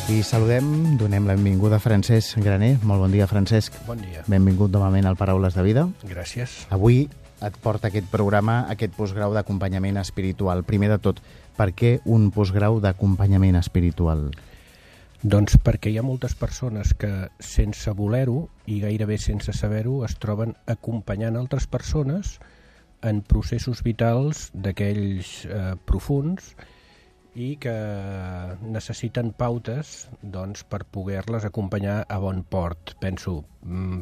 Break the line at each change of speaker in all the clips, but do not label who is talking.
I saludem, donem la benvinguda a Francesc Graner. Molt bon dia, Francesc.
Bon dia.
Benvingut novament al Paraules de Vida.
Gràcies.
Avui et porta aquest programa, aquest postgrau d'acompanyament espiritual. Primer de tot, per què un postgrau d'acompanyament espiritual?
Doncs perquè hi ha moltes persones que, sense voler-ho i gairebé sense saber-ho, es troben acompanyant altres persones en processos vitals d'aquells profuns i que necessiten pautes per poder-les acompanyar a bon port. Penso,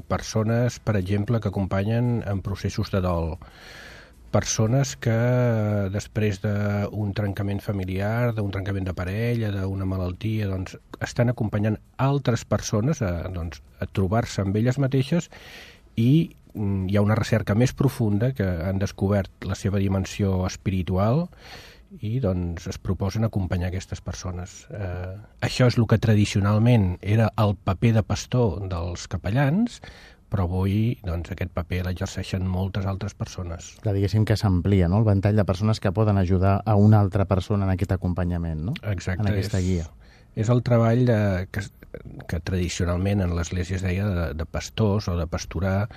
persones, per exemple, que acompanyen en processos de dol, persones que després d'un trencament familiar, d'un trencament de parella, d'una malaltia, estan acompanyant altres persones a trobar-se amb elles mateixes, i hi ha una recerca més profunda que han descobert la seva dimensió espiritual i es proposen acompanyar aquestes persones. Això és el que tradicionalment era el paper de pastor dels capellans, però avui aquest paper l'exerceixen moltes altres persones.
Clar, diguéssim que s'amplia, no?, el ventall de persones que poden ajudar a una altra persona en aquest acompanyament, no?
Exacte.
En aquesta guia.
És el treball que tradicionalment en l'Església es deia de pastors o de pastorar,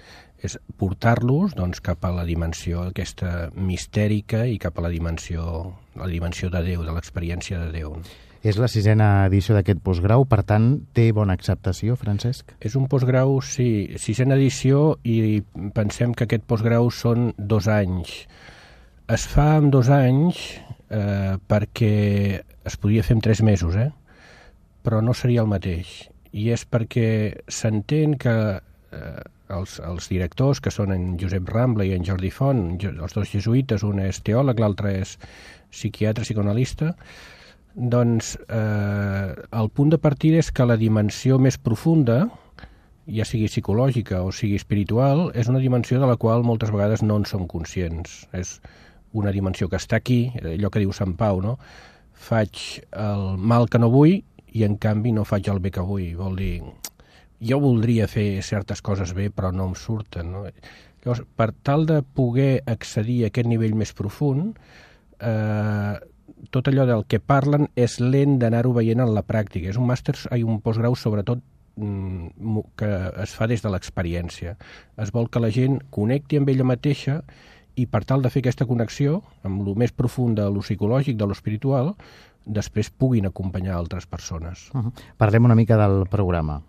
és portar-los cap a la dimensió aquesta mistèrica i cap a la dimensió de Déu, de l'experiència de Déu.
És la 6a edició d'aquest postgrau, per tant, té bona acceptació, Francesc?
És un postgrau, sí, 6a edició, i pensem que aquest postgrau són 2 anys. Es fa en 2 anys perquè es podia fer en 3 mesos, però no seria el mateix. I és perquè s'entén que els directors, que són en Josep Rambla i en Jordi Font, els 2 jesuïtes, un és teòleg, l'altre és psiquiatre, psicoanalista, el punt de partida és que la dimensió més profunda, ja sigui psicològica o sigui espiritual, és una dimensió de la qual moltes vegades no en som conscients. És una dimensió que està aquí, allò que diu Sant Pau, no? Faig el mal que no vull i en canvi no faig el bé que vull. Vol dir, jo voldria fer certes coses bé però no em surten, no? Llavors, per tal de poder accedir a aquest nivell més profund, tot allò del que parlen és lent d'anar-ho veient en la pràctica. És un màster, un postgrau sobretot que es fa des de l'experiència. Es vol que la gent connecti amb ella mateixa i per tal de fer aquesta connexió amb el més profund de lo psicològic, de lo espiritual, després puguin acompanyar altres persones.
Parlem una mica del programa.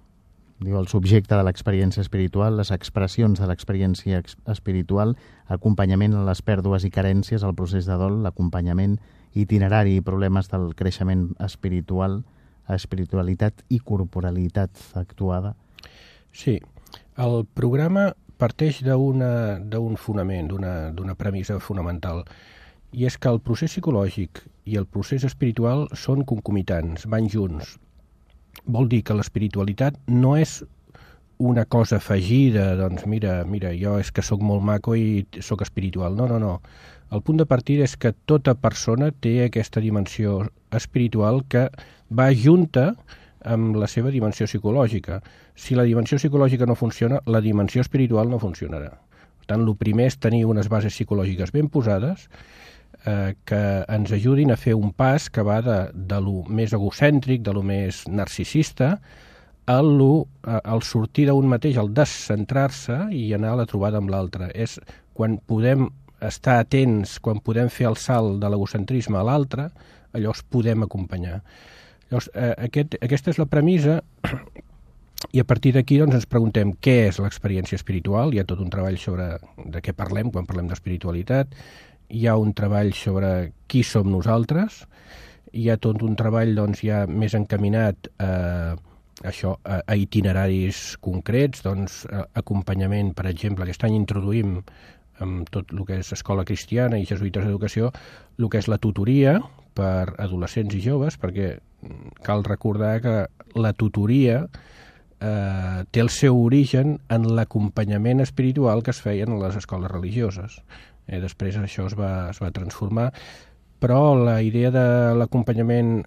Diu el subjecte de l'experiència espiritual, les expressions de l'experiència espiritual, acompanyament a les pèrdues i carències, el procés de dol, l'acompanyament itinerari i problemes del creixement espiritual, espiritualitat i corporalitat actuada.
Sí, el programa parteix d'un fonament, d'una premissa fonamental, i és que el procés psicològic i el procés espiritual són concomitants, van junts. Vol dir que l'espiritualitat no és una cosa afegida, mira, jo és que sóc molt maco i sóc espiritual. No. El punt de partida és que tota persona té aquesta dimensió espiritual que va junta amb la seva dimensió psicològica. Si la dimensió psicològica no funciona, la dimensió espiritual no funcionarà. Per tant, el primer és tenir unes bases psicològiques ben posades que ens ajudin a fer un pas que va de lo més egocèntric, de lo més narcisista, al sortir d'un mateix, al descentrar-se i anar a la trobada amb l'altre. És quan podem estar atents, quan podem fer el salt de l'egocentrisme a l'altre, llavors podem acompanyar. Llavors, aquesta és la premissa, i a partir d'aquí ens preguntem què és l'experiència espiritual. Hi ha tot un treball sobre de què parlem quan parlem d'espiritualitat, hi ha un treball sobre qui som nosaltres, hi ha tot un treball ja més encaminat a itineraris concrets, acompanyament, per exemple, aquest any introduïm amb tot el que és escola cristiana i jesuïtes d'educació, el que és la tutoria per adolescents i joves, perquè cal recordar que la tutoria té el seu origen en l'acompanyament espiritual que es feien a les escoles religioses. Després això es va transformar, però la idea de l'acompanyament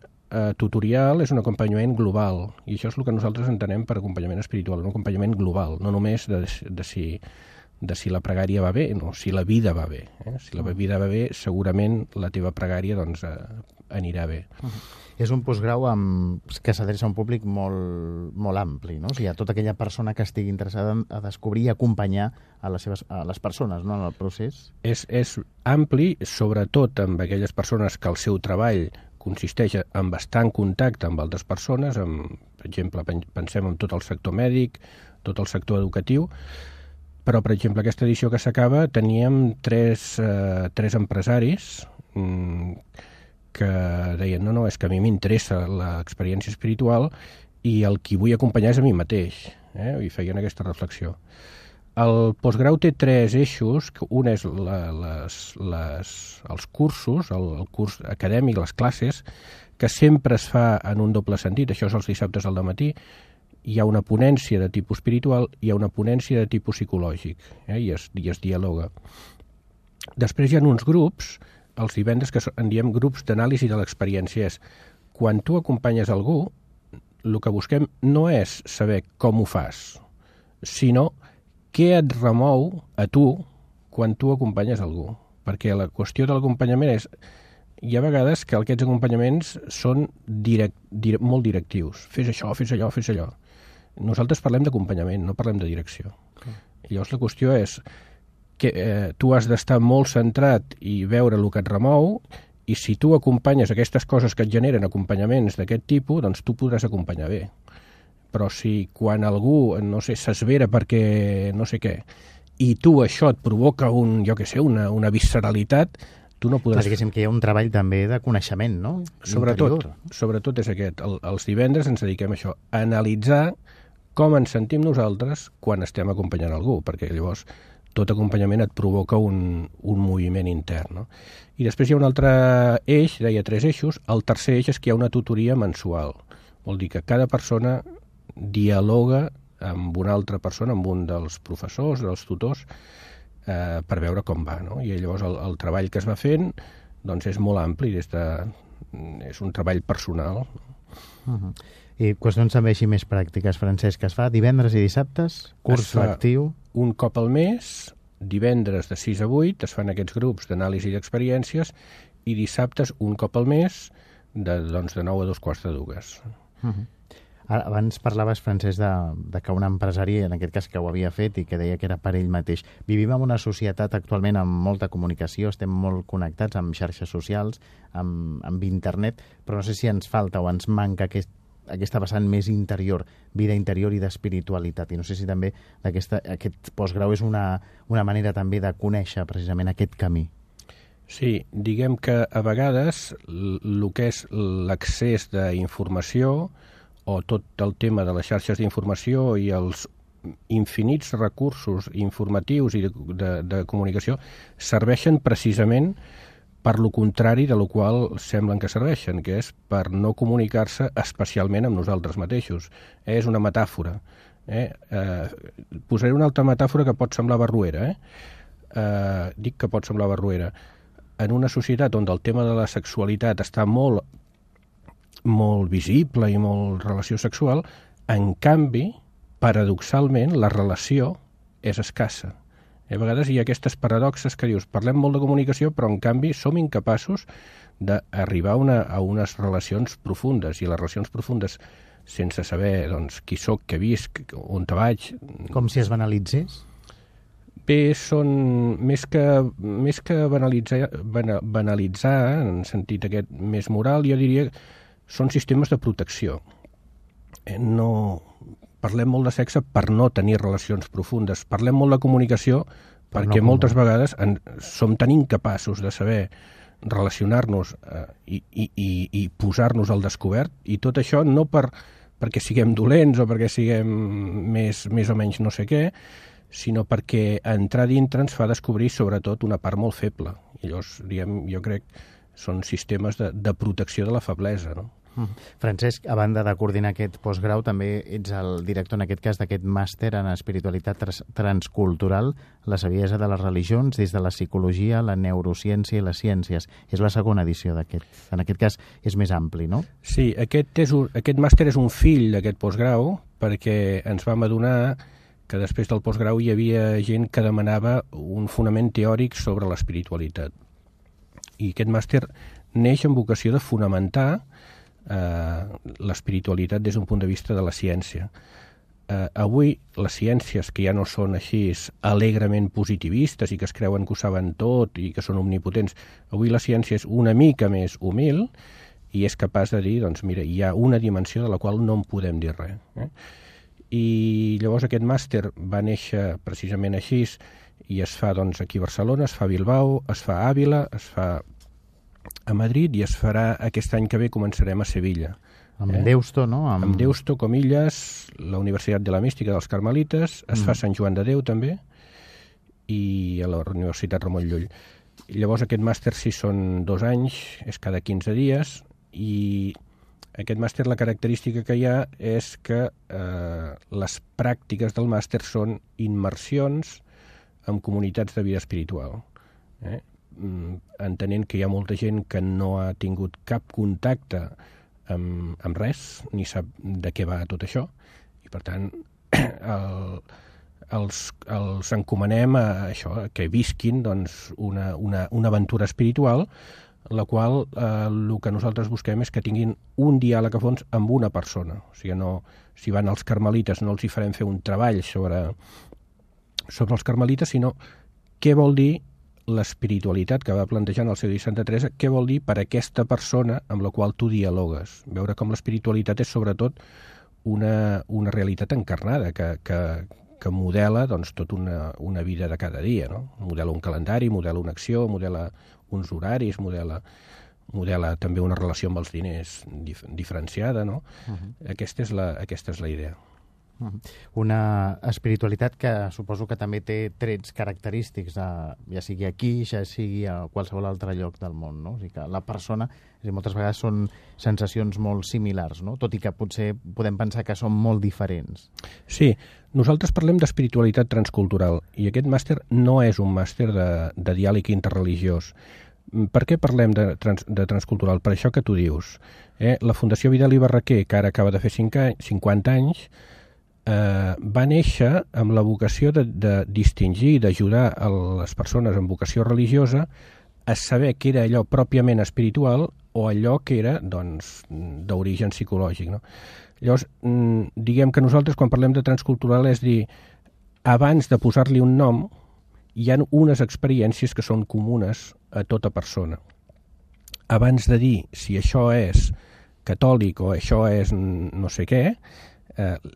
tutorial és un acompanyament global, i això és el que nosaltres entenem per acompanyament espiritual, un acompanyament global, no només de si la pregària va bé, no, si la vida va bé. Si la vida va bé, segurament la teva pregària anirà bé.
És un postgrau que s'adreça a un públic molt ampli, no? O sigui, a tota aquella persona que estigui interessada a descobrir i acompanyar a les persones, no?, en el procés.
És ampli, sobretot amb aquelles persones que el seu treball consisteix en bastant contacte amb altres persones, per exemple, pensem en tot el sector mèdic, tot el sector educatiu, però, per exemple, aquesta edició que s'acaba teníem tres empresaris que deien, no, és que a mi m'interessa l'experiència espiritual i el qui vull acompanyar és a mi mateix, i feien aquesta reflexió. El postgrau té 3 eixos, un és els cursos, el curs acadèmic, les classes, que sempre es fa en un doble sentit, això és els dissabtes al dematí. Hi ha una ponència de tipus espiritual, hi ha una ponència de tipus psicològic, i es dialoga. Després hi ha uns grups, els divendres, que en diem grups d'anàlisi de l'experiència. És quan tu acompanyes algú, el que busquem no és saber com ho fas, sinó què et remou a tu quan tu acompanyes algú. Perquè la qüestió de l'acompanyament és... Hi ha vegades que aquests acompanyaments són molt directius. Fes això, fes allò, fes allò. Nosaltres parlem d'acompanyament, no parlem de direcció. Llavors la qüestió és que tu has d'estar molt centrat i veure el que et remou, i si tu acompanyes aquestes coses que et generen acompanyaments d'aquest tipus, doncs tu podràs acompanyar bé. Però si quan algú, no sé, s'esvera perquè no sé què, i tu això et provoca una visceralitat, tu no podràs...
Diguéssim que hi ha un treball també de coneixement, no?
Sobretot és aquest. Els divendres ens dediquem a això, a analitzar com ens sentim nosaltres quan estem acompanyant algú, perquè llavors tot acompanyament et provoca un moviment intern, no? I després hi ha un altre eix, deia 3 eixos, el tercer eix és que hi ha una tutoria mensual. Vol dir que cada persona dialoga amb una altra persona, amb un dels professors, dels tutors, per veure com va, no? I llavors el treball que es va fent doncs és molt ampli, és un treball personal.
I qüestions també així més pràctiques, Francesc, que es fa divendres i dissabtes, curs lectiu...
Un cop al mes, divendres de 6 a 8, es fan aquests grups d'anàlisi d'experiències, i dissabtes un cop al mes, de 9 a 2:45.
Abans parlaves, Francesc, de que un empresari, en aquest cas que ho havia fet i que deia que era per ell mateix. Vivim en una societat actualment amb molta comunicació, estem molt connectats amb xarxes socials, amb internet, però no sé si ens falta o ens manca aquesta vessant més interior, vida interior i d'espiritualitat. I no sé si també aquest postgrau és una manera també de conèixer precisament aquest camí.
Sí, diguem que a vegades el que és l'accés d'informació o tot el tema de les xarxes d'informació i els infinits recursos informatius i de comunicació serveixen precisament per lo contrari de lo qual semblen que serveixen, que és per no comunicar-se especialment amb nosaltres mateixos. És una metàfora. Posaré una altra metàfora que pot semblar barroera. Dic que pot semblar barroera. En una societat on el tema de la sexualitat està molt visible i molt relació sexual, en canvi, paradoxalment, la relació és escassa. A vegades hi ha aquestes paradoxes que dius, parlem molt de comunicació, però en canvi som incapaços d'arribar a unes relacions profundes, i les relacions profundes, sense saber qui soc, què visc, on te vaig...
Com si es banalitzés?
Bé, són més que banalitzar, en sentit aquest més moral, jo diria són sistemes de protecció. No parlem molt de sexe per no tenir relacions profundes. Parlem molt de comunicació perquè moltes vegades som tan incapaços de saber relacionar-nos i posar-nos al descobert, i tot això no perquè siguem dolents o perquè siguem més o menys no sé què, sinó perquè entrar dintre ens fa descobrir sobretot una part molt feble. I llavors, jo crec, són sistemes de protecció de la feblesa, no?
Francesc, a banda de coordinar aquest postgrau, també ets el director, en aquest cas, d'aquest màster en espiritualitat transcultural, la saviesa de les religions, des de la psicologia, la neurociència i les ciències. És la segona edició d'aquest. En aquest cas, és més ampli, no?
Sí, aquest màster és un fill d'aquest postgrau, perquè ens vam adonar que després del postgrau hi havia gent que demanava un fonament teòric sobre l'espiritualitat. I aquest màster neix amb vocació de fonamentar l'espiritualitat des d'un punt de vista de la ciència. Avui, les ciències que ja no són així alegrement positivistes i que es creuen que ho saben tot i que són omnipotents, avui la ciència és una mica més humil i és capaç de dir, doncs mira, hi ha una dimensió de la qual no en podem dir res. I llavors aquest màster va néixer precisament així i es fa doncs, aquí a Barcelona, es fa a Bilbao, es fa a Àvila, es fa a Madrid i es farà aquest any que ve, començarem a Sevilla.
Amb Deusto, no?
Amb Deusto, Comillas, la Universitat de la Mística dels Carmelites, es fa a Sant Joan de Déu també, i a la Universitat Ramon Llull. Llavors aquest màster sí són 2 anys, és cada 15 dies, i aquest màster la característica que hi ha és que les pràctiques del màster són immersions en comunitats de vida espiritual. Entenent que hi ha molta gent que no ha tingut cap contacte amb res, ni sap de què va tot això, i per tant els encomanem a això, que visquin doncs, una aventura espiritual, la qual el que nosaltres busquem és que tinguin un diàleg a fons amb una persona. O sigui, no, si van als carmelites no els hi farem fer un treball sobre els carmelites, sinó què vol dir l'espiritualitat que va plantejant el seu dit Santa Teresa, què vol dir per aquesta persona amb la qual tu dialogues. Veure com l'espiritualitat és sobretot una realitat encarnada que modela doncs, tota una vida de cada dia. No? Modela un calendari, modela una acció, modela uns horaris, modela també una relació amb els diners diferenciada. No? Aquesta és la idea.
Una espiritualitat que suposo que també té trets característics, ja sigui aquí, ja sigui a qualsevol altre lloc del món, no? O sigui que la persona, moltes vegades són sensacions molt similars, no? Tot i que potser podem pensar que són molt diferents.
Sí, nosaltres parlem d'espiritualitat transcultural i aquest màster no és un màster de diàleg interreligiós. Per què parlem de transcultural? Per això que tu dius. La Fundació Vidal i Barraquer, que ara acaba de fer 50 anys, va néixer amb la vocació de distingir i d'ajudar a les persones amb vocació religiosa a saber què era allò pròpiament espiritual o allò que era d'origen psicològic. No? Llavors, diguem que nosaltres quan parlem de transcultural és dir, abans de posar-li un nom, hi ha unes experiències que són comunes a tota persona. Abans de dir si això és catòlic o això és no sé què,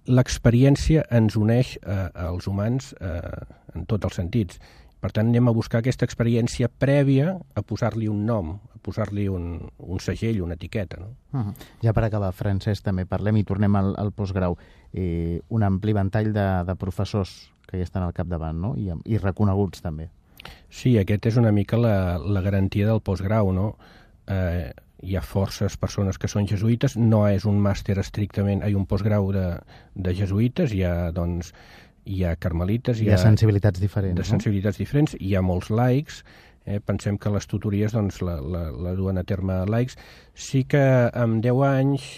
l'experiència ens uneix als humans en tots els sentits. Per tant, anem a buscar aquesta experiència prèvia a posar-li un nom, a posar-li un segell, una etiqueta. No?
Ja per acabar, Francesc, també parlem i tornem al postgrau. Un ampli ventall de professors que hi estan al capdavant, no? I reconeguts també.
Sí, aquest és una mica la garantia del postgrau, no? Hi ha forces persones que són jesuïtes, no és un màster estrictament, hi ha un postgrau de jesuïtes, hi ha carmelites,
hi ha sensibilitats diferents.
De sensibilitats diferents, hi ha molts laics, pensem que les tutories la duen a terme laics. Sí que en 10 anys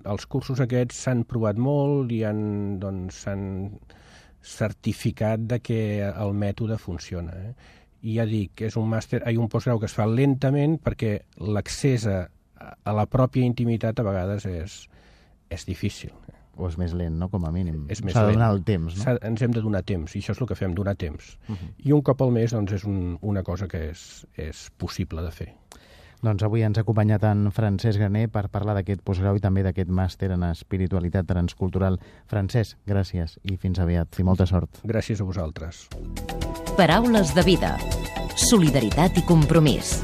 els cursos aquests s'han provat molt i s'han certificat de que el mètode funciona. I ja dic, és un màster, hi ha un postgrau que es fa lentament perquè l'accés a la pròpia intimitat a vegades és difícil.
O és més lent, no?, com a mínim.
S'ha
de donar el temps, no?
Ens hem de donar temps, i això és el que fem, donar temps. I un cop al mes doncs, és una cosa que és possible de fer.
Doncs avui ens ha acompanyat en Francesc Graner per parlar d'aquest postgrau i també d'aquest màster en espiritualitat transcultural. Francesc, gràcies i fins aviat. I molta sort.
Gràcies a vosaltres.
Paraules de vida. Solidaritat i compromís.